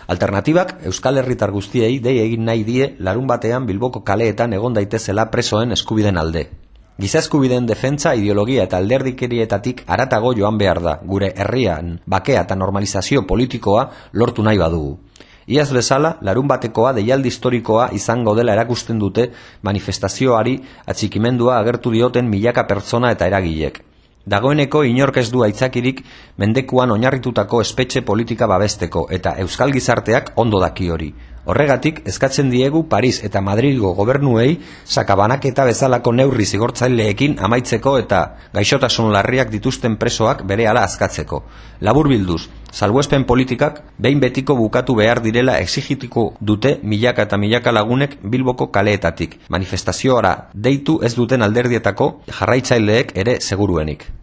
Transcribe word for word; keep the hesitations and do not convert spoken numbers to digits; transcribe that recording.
Alternatibak Euskal Herritar guztiei dei egin nahi die larun batean Bilboko kaleetan egon daitezela presoen eskubiden alde. Giza eskubideen defentsa, ideologia eta alderdikerietatik haratago joan behar da, gure herrian bakea eta normalizazio politikoa lortu nahi badugu. Iaz bezala, larun batekoa deialdi historikoa izango dela erakusten dute manifestazioari atxikimendua agertu dioten milaka pertsona eta eragilek. Dagoeneko inork ez du aitzakirik mendekuan oinarritutako espetxe politika babesteko eta euskal gizarteak ondo daki hori. Horregatik, eskatzen diegu Paris eta Madrilgo gobernuei sakabanaketa bezalako neurri zigortzaileekin amaitzeko eta gaixotasun larriak dituzten presoak berehala askatzeko. Laburbilduz, salbuespen politikak behin betiko bukatu behar direla exigituko dute milaka eta milaka lagunek Bilboko kaleetatik. Manifestazioara deitu ez duten alderdietako jarraitzaileek ere seguruenik.